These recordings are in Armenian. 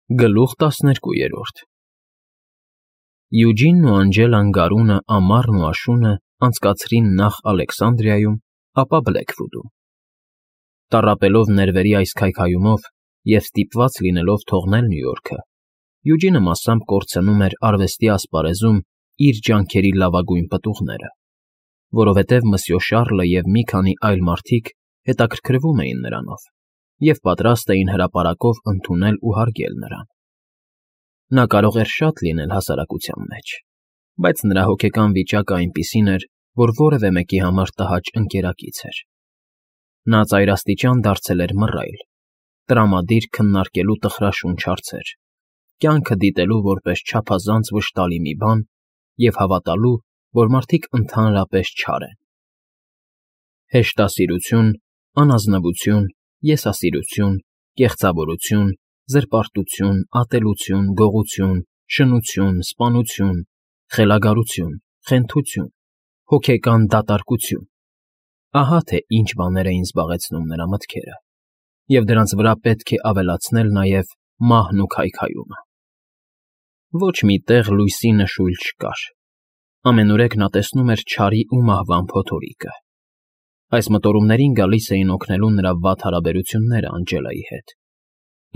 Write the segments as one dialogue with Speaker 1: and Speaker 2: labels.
Speaker 1: Գլուխ 12 Յուջինն ու Անջելան գարունը, ամառն ու աշունը անցկացրին նախ Ալեքսանդրիայում, ապա Բլեքվուդում։ Տառապելով ներվերի այս քայքայումով և ստիպված լինելով թողնել Նյու Յորքը, Յուջինը մասամբ կորցնում էր արվեստի ասպարեզում իր ջանքերի լավագույն պտուղները, որովհետև Մսյո Շառլը և մի քանի այլ մարդիկ հետաքրքրվում էին նրանով և պատրաստ էին հրապարակով ընդունել ու հարգել նրան։ Նա կարող էր շատ լինել հասարակության մեջ, բայց նրա հոգեկան վիճակը այնպիսին էր, որ որևէ մեկի համար տհաճ ընկերակից էր։ Նա ծայրաստիճան դարձել էր մռայլ, տրամադիր քննարկելու տխրաշունչ հարցեր, կյանքը դիտելու որպես չափազանց վշտալի մի բան և հավատալու, որ մարդիկ ընդհանրապես չար են։ Հեշտասիրություն, անազնվություն, եսասիրություն, կեղծավորություն, զրպարտություն, ատելություն, գողություն, շնություն, սպանություն, խելագարություն, խենթություն, հոգեկան դատարկություն… Ահա թե ինչ բաներ էին զբաղեցնում նրա մտքերը, և դրանց վրա պետք է ավելացնել նաև մահն ու քայքայումը։ Ոչ մի տեղ լույսի նշույլ չկար, ամենուրեք նա տեսնում էր չարի ու մահվան փոթորիկը։ Այս մտորումներին գալիս էին օգնելու նրա վատ հարաբերությունները Անջելայի հետ,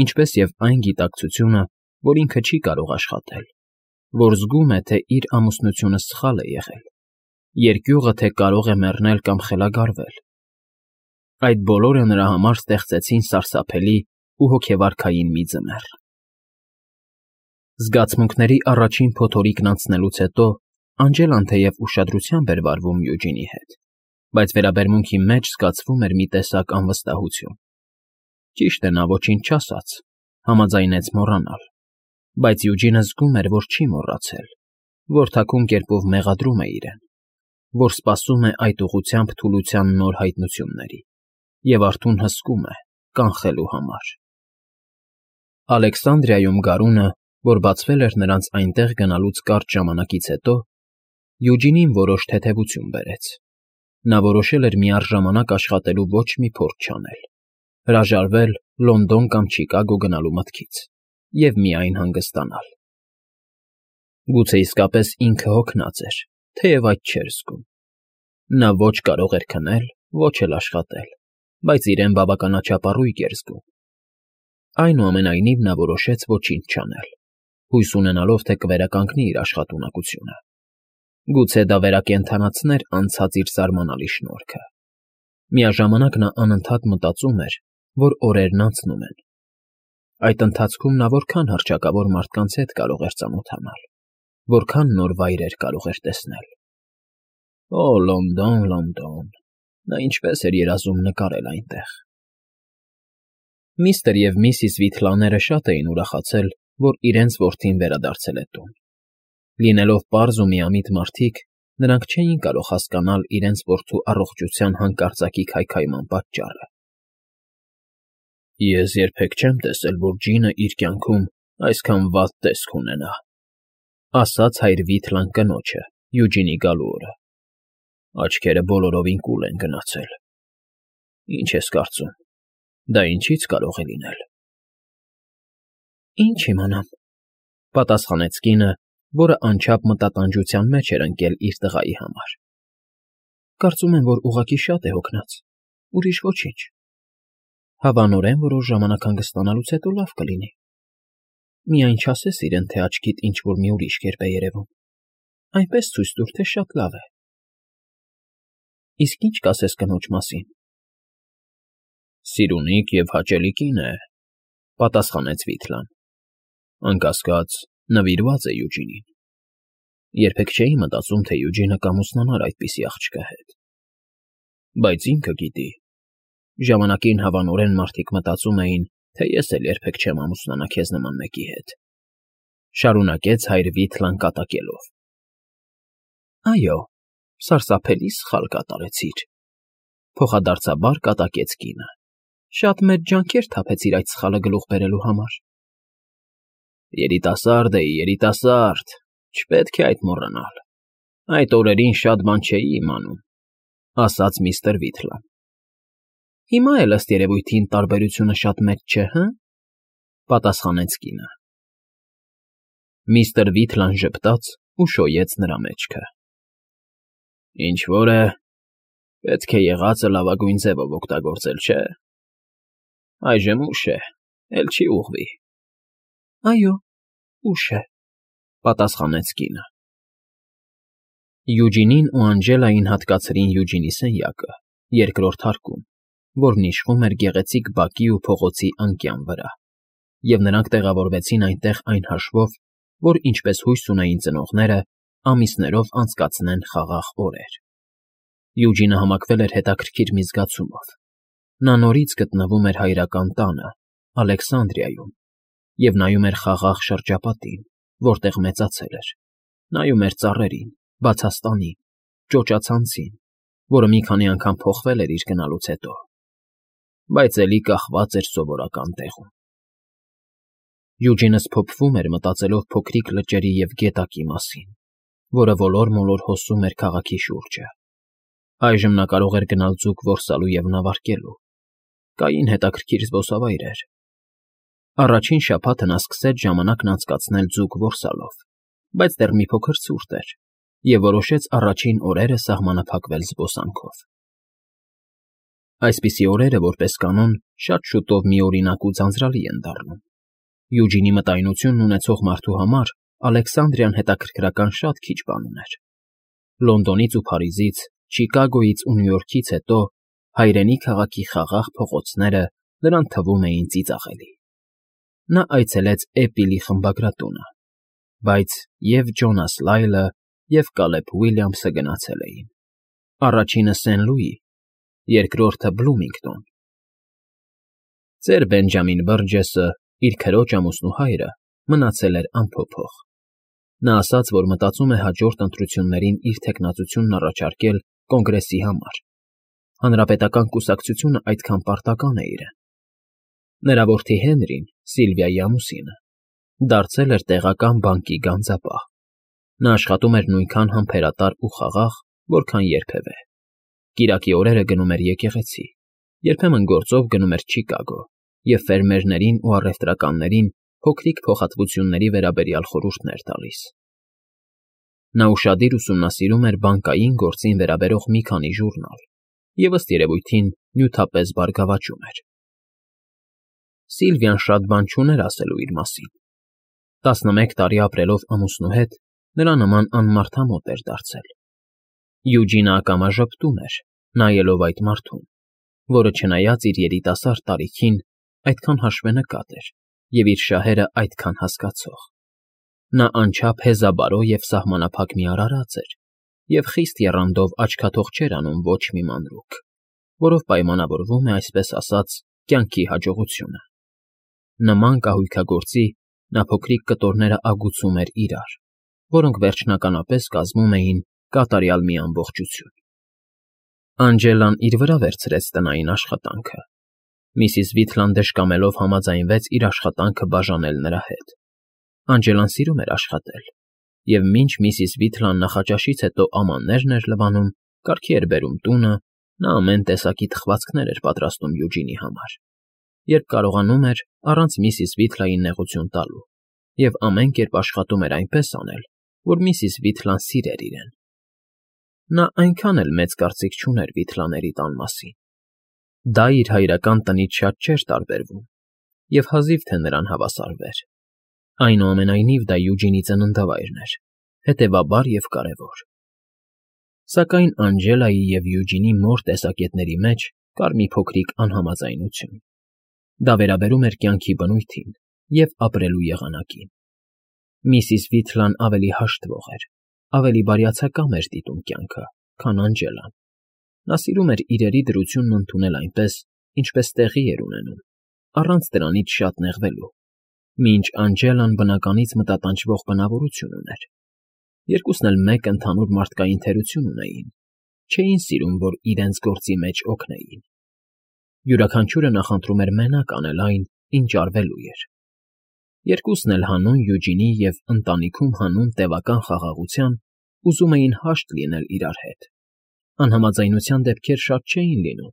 Speaker 1: ինչպես և այն գիտակցությունը, որ ինքը չի կարող աշխատել, որ զգում է, թե իր ամուսնությունը սխալ է եղել, երկյուղը, թե կարող է մեռնել կամ խելագարվել։ Այդ բոլորը նրա համար ստեղծեցին սարսափելի ու հոգեվարքային մի ձմեռ։ Զգացմունքների առաջին փոթորիկն անցնելուց հետո Անջելան թեև ուշադրությամբ էր վարվում Յուջինի հետ, բայց վերաբերմունքի մեջ զգացվում էր մի տեսակ անվստահություն։ Ճիշտ է, նա ոչինչ չասաց, համաձայնեց մոռանալ, բայց Յուջինը զգում էր, որ չի մոռացել, որ թաքուն կերպով մեղադրում է իրեն, որ սպասում է այդ ուղղությամբ թուլության նոր հայտնությունների և արթուն հսկում է կանխելու համար։ Ալեքսանդրիայում գարունը, որ բացվել էր նրանց այնտեղ գնալուց կարճ ժամանակից հետո, Յուջինին որոշ թեթևություն բերեց։ Նա որոշել էր միառժամանակ աշխատելու ոչ մի փորձ չանել, հրաժարվել Լոնդոն կամ Չիկագո գնալու մտքից և միայն հանգստանալ։ Գուցե իսկապես ինքը հոգնած էր, թեև այդ չէր զգում։ Նա ոչ կարող էր քնել, ոչ էլ աշխատել, բայց իրեն բավականաչափ առույգ էր զգում։ Այնուամենայնիվ նա որոշեց ոչինչ չանել, հույս ունենալով, թե կվերականգնի իր աշխատունակությունը։ Գուցե դա վերակենդանացներ անցած իր զարմանալի շնորհքը։ Միաժամանակ նա անընդհատ մտածում էր, որ օրերն անցնում են։ Այդ ընթացքում նա որքան հռչակավոր մարդկանց հետ կարող էր ծանոթանալ, որքան նոր վայրեր կարող էր տեսնել։ Օ, Լոնդոն, Լոնդոն… Նա ինչպես էր երազում նկարել այնտեղ։ Միստր և միսիս Վիթլաները շատ էին ուրախացել, որ իրենց որդին վերադարձել է տուն։ Լինելով պարզ ու միամիտ մարդիկ, նրանք չէին կարող հասկանալ իրենց որդու առողջության հանկարծակի քայքայման պատճառը։ Ես երբեք չեմ տեսել, որ ջինը իր կյանքում այսքան վատ տեսք ունենա, ասաց հայր Վիթլան կնոջը Յուջինի գալու օրը։ Աչքերը բոլորովին կուլ են գնացել։ Ինչ ես կարծում, դա ինչից կարող է լինել։ Ինչ իմանամ, պատասխանեց կինը, որը անչափ մտատանջության մեջ էր ընկել իր տղայի համար։ Կարծում եմ, որ ուղղակի շատ է հոգնած, ուրիշ ոչինչ։ Հավանորեն որոշ ժամանակ հանգստանալուց հետո լավ կլինի։ Միայն չասես իրեն, թե աչքիդ ինչ֊որ մի ուրիշ կերպ է երևում։ Այնպես ցույց տուր, թե շատ լավ է։ Իսկ ինչ կասես կնոջ մասին։ Սիրունիկ և հաճելի կին է, պատասխանեց Վիթլան։ Անկասկած, նվիրված է Յուջինին։ Երբեք չէի մտածում, թե Յուջինը կամուսնանար այդպիսի աղջկա հետ։ Բայց ինքը գիտի։ Ժամանակին հավանորեն մարդիկ մտածում էին, թե ես էլ երբեք չեմ ամուսնանա քեզ նման մեկի հետ։ Շարունակեց հայր Վիթլան կատակելով։ Այո, սարսափելի սխալ կատարեցիր, փոխադարձաբար կատակեց կինը։ Շատ մեծ ջանքեր թափեցիր այդ սխալը գլուխ բերելու համար։ Երիտասարդ էի, երիտասարդ, չպետք է այդ մոռանալ։ Այդ օրերին շատ բան չէի իմանում, ասաց միստր Վիթլան։ Հիմա էլ ըստ երևույթին տարբերությունը շատ մեծ չէ, հը՞, պատասխանեց կինը։ Միստր Վիթլան ժպտաց ու շոյեց նրա մեջքը։ Ինչ֊որ է, պետք է եղածը լավագույն ձևով օգտագործել, չէ՞։ Այժմ ուշ է, էլ չի ուղղվի։ Այո, ուշ է, պատասխանեց կինը։ Յուջինին ու Անջելային հատկացրին Յուջինի սենյակը, երկրորդ հարկում, որն իշխում էր գեղեցիկ բակի ու փողոցի անկյան վրա, և նրանք տեղավորվեցին այնտեղ այն հաշվով, որ, ինչպես հույս ունեին ծնողները, ամիսներով անցկացնեն խաղաղ օրեր։ Յուջինը համակվել էր հետաքրքիր մի զգացումով։ Նա նորից գտնվում էր հայրական տանը, Ալեքսանդրիայում, և նայում էր խաղաղ շրջապատին, որտեղ մեծացել էր, նայում էր ծառերին, բացաստանին, ճոճացանցին, որը մի քանի անգամ փոխվել էր իր գնալուց հետո, բայց էլի կախված էր սովորական տեղում։ Յուջինը սփոփվում էր մտածելով փոքրիկ լճերի և գետակի մասին, որը ոլոր-մոլոր հոսում էր քաղաքի շուրջը։ Այժմ նա կարող էր գնալ ձուկ որսալու և նավարկելու։ Կային հետաքրքիր զբոսավայրեր։ Առաջին շաբաթը նա սկսեց ժամանակն անցկացնել ձուկ որսալով, բայց դեռ մի փոքր ցուրտ էր, և որոշեց առաջին օրերը սահմանափակվել զբոսանքով։ Այսպիսի օրերը, որպես կանոն, շատ շուտով միօրինակ ու ձանձրալի են դառնում։ Յուջինի մտայնությունն ունեցող մարդու համար Ալեքսանդրիան հետաքրքրական շատ քիչ բան ուներ։ Լոնդոնից ու Փարիզից, Չիկագոյից ու Նյու Յորքից հետո հայրենի քաղաքի խաղաղ փողոցները նրան թվում էին ծիծաղելի։ Նա այցելեց Էպիլի խմբագրատունը, բայց և Ջոնաս Լայլը, և Կալեբ Ուիլյամսը գնացել էին։ Առաջինը Սեն Լուի, երկրորդը Բլումինգտոն։ Ծեր Բենջամին Բըրջեսը, իր քրոջ ամուսնու հայրը, մնացել էր անփոփոխ։ Նա ասաց, որ մտածում է հաջորդ ընտրություններին իր թեկնածությունն առաջարկել կոնգրեսի համար։ Հանրապետական կուսակցությունը այդքան պարտական է իրեն։ Նրա որդի Հենրին, Սիլվիայի ամուսինը, դարձել էր տեղական բանկի գանձապահ։ Նա աշխատում էր նույնքան համբերատար ու խաղաղ, որքան երբևէ։ Կիրակի օրերը գնում էր եկեղեցի, երբեմն գործով գնում էր Չիկագո և ֆերմերներին ու առևտրականներին փոքրիկ փոխհատվությունների վերաբերյալ խորհուրդներ տալիս։ Նա ուշադիր ուսումնասիրում էր բանկային գործին վերաբերող մի քանի ժուրնալ և, ըստ երևույթին, նյութապես բարգավաճում էր։ Սիլվիան շատ բան չուներ ասելու իր մասին։ 11 տարի ապրելով ամուսնու հետ, նրա նման անմարդամոտ էր դարձել։ Յուջինը ակամա ժպտում էր, նայելով այդ մարդուն, որը, չնայած իր երիտասարդ տարիքին, այդքան հաշվենկատ էր և իր շահերը այդքան հասկացող։ Նա անչափ հեզաբարո և սահմանափակ մի արարած էր և խիստ եռանդով աչքաթող չէր անում ոչ մի մանրուք, որով պայմանավորվում է, այսպես ասած, կյանքի հաջողությունը։ Նման կահույքագործի նա փոքրիկ կտորները ագուցում էր իրար, որոնք վերջնականապես կազմում էին կատարյալ մի ամբողջություն։ Անջելան իր վրա վերցրեց տնային աշխատանքը։ Միսիս Վիթլան դժկամելով համաձայնվեց իր աշխատանքը բաժանել նրա հետ։ Անջելան սիրում էր աշխատել, և մինչ միսիս Վիթլան նախաճաշից հետո ամաններն էր լվանում, կարգի էր բերում տունը, նա ամեն տեսակի թխվածքներ էր պատրաստում Յուջինի համար, երբ կարողանում էր առանց միսիս Վիթլային նեղություն տալու, և ամեն կերպ աշխատում էր այնպես անել, որ միսիս Վիթլան սիրեր իրեն։ Նա այնքան էլ մեծ կարծիք չուներ Վիթլաների տան մասին։ Դա իր հայրական տնից շատ չէր տարբերվում, և հազիվ թե նրան հավասարվեր։ Այնուամենայնիվ դա Յուջինի ծննդավայրն էր, հետևաբար և կարևոր։ Սակայն Անջելայի և Յուջինի մոր տեսակետների մեջ կար մի փոքրիկ անհամաձայնություն։ Դա վերաբերում էր կյանքի բնույթին և ապրելու եղանակին։ Միսիս Վիթլան ավելի հաշտվող էր, ավելի բարյացակամ էր դիտում կյանքը, քան Անջելան։ Նա սիրում էր իրերի դրությունն ընդունել այնպես, ինչպես տեղի էր ունենում, առանց դրանից շատ նեղվելու, մինչ Անջելան բնականից մտատանջվող բնավորություն ուներ։ Երկուսն էլ մեկ ընդհանուր մարդկային թերություն ունեին, չէին սիրում, որ իրենց գործի մեջ օգնեին։ Յուրաքանչյուրը նախընտրում էր մենակ անել այն, ինչ արվելու էր։ Երկուսն էլ հանուն Յուջինի և ընտանիքում հանուն տևական խաղաղության ուզում էին հաշտ լինել իրար հետ։ Անհամաձայնության դեպքեր շատ չէին լինում,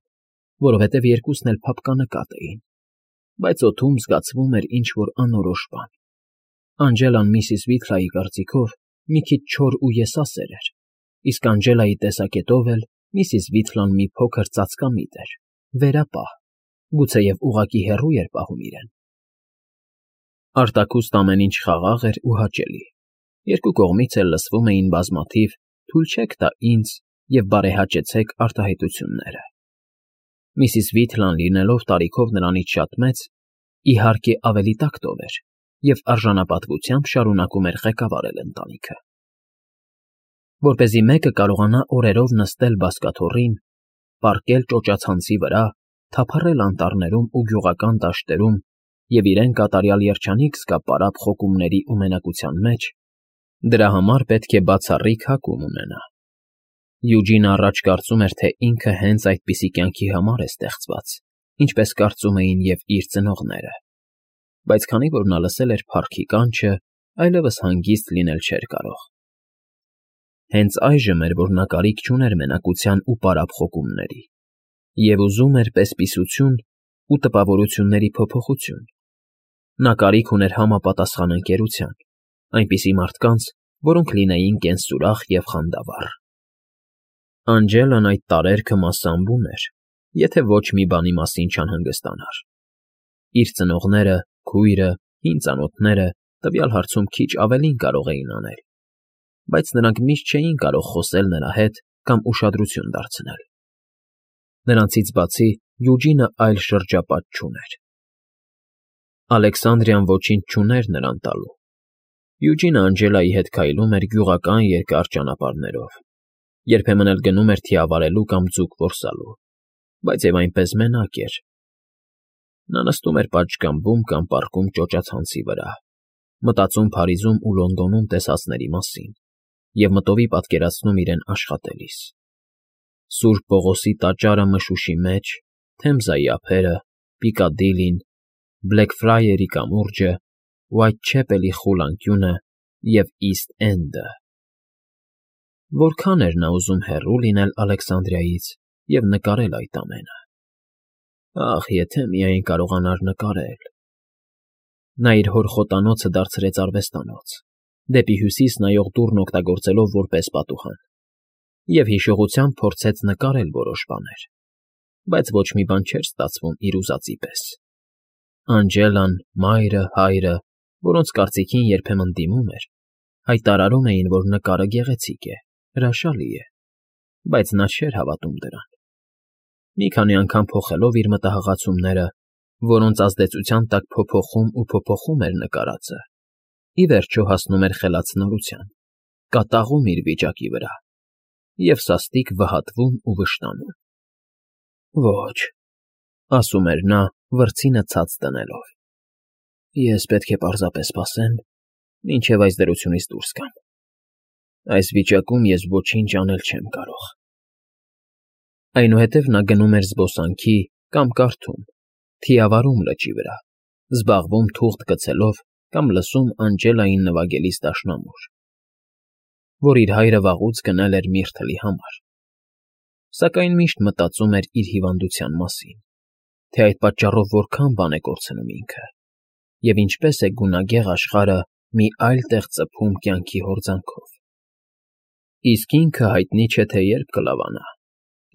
Speaker 1: որովհետև երկուսն էլ փափկանկատ էին, բայց օդում զգացվում էր ինչ֊որ անորոշ բան։ Անջելան միսիս Վիթլայի կարծիքով մի քիչ չոր ու եսասեր էր, իսկ Անջելայի տեսակետով էլ միսիս Վիթլան մի փոքր ծածկամիտ էր, վերապահ, գուցեև ուղղակի հեռու էր պահում իրեն։ Արտաքուստ ամեն ինչ խաղաղ էր ու հաճելի, երկու կողմից էլ լսվում էին բազմաթիվ «թույլ չեք տա ինձ» և «բարեհաճեցեք» արտահայտությունները։ Միսիս Վիթլան լինելով տարիքով նրանից շատ մեծ, իհարկե ավելի տակտով էր և արժանապատվությամբ շարունակում էր ղեկավարել ընտանիքը։ Որպեսզի մեկը կարողանա օրերով նստել բազկաթոռին, պառկել ճոճացանցի վրա, թափառել անտառներում ու գյուղական դաշտերում և իրեն կատարյալ երջանիկ զգա պարապ խոկումների ու մենակության մեջ, դրա համար պետք է բացառիկ հակում ունենա։ Յուջինը առաջ կարծում էր, թե ինքը հենց այդպիսի կյանքի համար է ստեղծված, ինչպես կարծում էին և իր ծնողները, բայց քանի որ նա լսել էր փառքի կանչը, այլևս հանգիստ լինել չէր կարող։ Հենց այժմ էր, որ նա կարիք չուներ մենակության ու պարապ խոկումների, և ուզում էր պես֊պիսություն ու տպավորությունների փոփոխություն։ Նա կարիք ուներ համապատասխան ընկերության, այնպիսի մարդկանց, որոնք լինեին կենսուրախ և խանդավառ։ Անջելան այդ տարերքը մասսամբում էր, եթե ոչ մի բանի մասին չանհանգստանար։ Իր ծնողները, քույրը, հին ծանոթները տվյալ հարցում քիչ ավելին կարող էին անել, բայց նրանք միշտ չէին կարող խոսել նրա հետ կամ ուշադրություն դարձնել։ Նրանցից բացի Յուջինը այլ շրջապատ չուներ։ Ալեքսանդրիան ոչինչ չուներ նրան տալու։ Յուջինը Անջելայի հետ քայլում էր գյուղական երկար ճանապարհներով, երբեմն էլ գնում էր թիավարելու կամ ձուկ որսալու, բայց և այնպես մենակ էր։ Նա նստում էր պատշգամբում կամ պառկում ճոճացանցի վրա, մտածում Փարիզում ու Լոնդոնում տեսածների մասին և մտովի պատկերացնում իրեն աշխատելիս. Սուրբ Պողոսի տաճարը Մշուշի մեջ, Թեմզայի ափերը, Պիկադիլին, Բլեքֆրայերի կամուրջը, Ուայթչեպելի խուլ անկյունը և Իսթ Էնդը։ Որքան էր նա ուզում հեռու լինել Ալեքսանդրիայից և նկարել այդ ամենը։ Ախ, եթե միայն կարողանար նկարել։ Նա իր հոր խոտանոցը դարձրեց արվեստանոց, դեպի հյուսիս նայող դուռն օգտագործելով որպես պատուհան, և հիշողությամբ փորձեց նկարել որոշ բաներ, բայց ոչ մի բան չէր ստացվում իր ուզածի պես։ Անջելան, մայրը, հայրը, որոնց կարծիքին երբեմն դիմում էր, հայտարարում էին, որ նկարը գեղեցիկ է, հրաշալի է, բայց նա չէր հավատում դրան։ Մի քանի անգամ փոխելով իր մտահղացումները, որոնց ազդեցության տակ փոփոխում էր նկարածը, ի վերջո հասնում էր խելացնորության, կատաղում իր վիճակի վրա և սաստիկ վհատվում ու վշտանում։ «Ոչ,֊ ասում էր նա, վրձինը ցած դնելով,֊ ես պետք է պարզապես սպասեմ, մինչև այս դրությունից դուրս գամ։ Այս վիճակում ես ոչինչ անել չեմ կարող»։ Այնուհետև նա գնում էր զբոսանքի կամ կարդում, թիավարում լճի վրա, զբաղվում թուղթ գցելով կամ լսում Անջելային նվագելիս դաշնամուր, որ իր հայրը վաղուց գնել էր Միրթլի համար, սակայն միշտ մտածում էր իր հիվանդության մասին, թե այդ պատճառով որքան բան է կորցնում ինքը, և ինչպես է գունագեղ աշխարհը մի այլ տեղ ծփում կյանքի հորձանքով։ Իսկ ինքը հայտնի չէ, թե երբ կլավանա,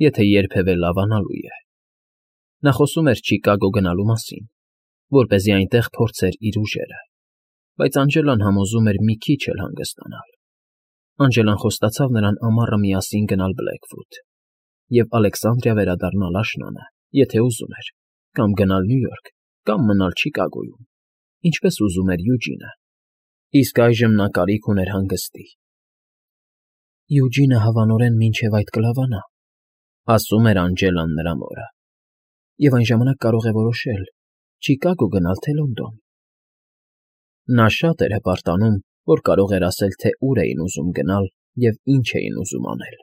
Speaker 1: եթե երբևէ լավանալու է։ Նա խոսում էր Չիկագո գնալու մասին, որպեսզի այնտեղ փորձեր իր ուժերը, բայց Անջելան համոզում էր մի քիչ էլ հանգստանալ։ Անջելան խոստացավ նրան ամառը միասին գնալ Բլեքվուդ և Ալեքսանդրիա վերադառնալ աշնանը, եթե ուզում էր, կամ գնալ Նյու Յորք, կամ մնալ Չիկագոյում, ինչպես ուզում էր Յուջինը, իսկ այժմ նա կարիք ուներ հանգստի։ Յուջինը հավանորեն մինչև այդ կլավանա, ասում էր Անջելան նրա մորը, և այն ժամանակ կարող է որոշել՝ Չիկագո գնալ, թե Լոնդոն։ Նա շատ էր հպարտանում, որ կարող էր ասել, թե ուր էին ուզում գնալ և ինչ էին ուզում անել։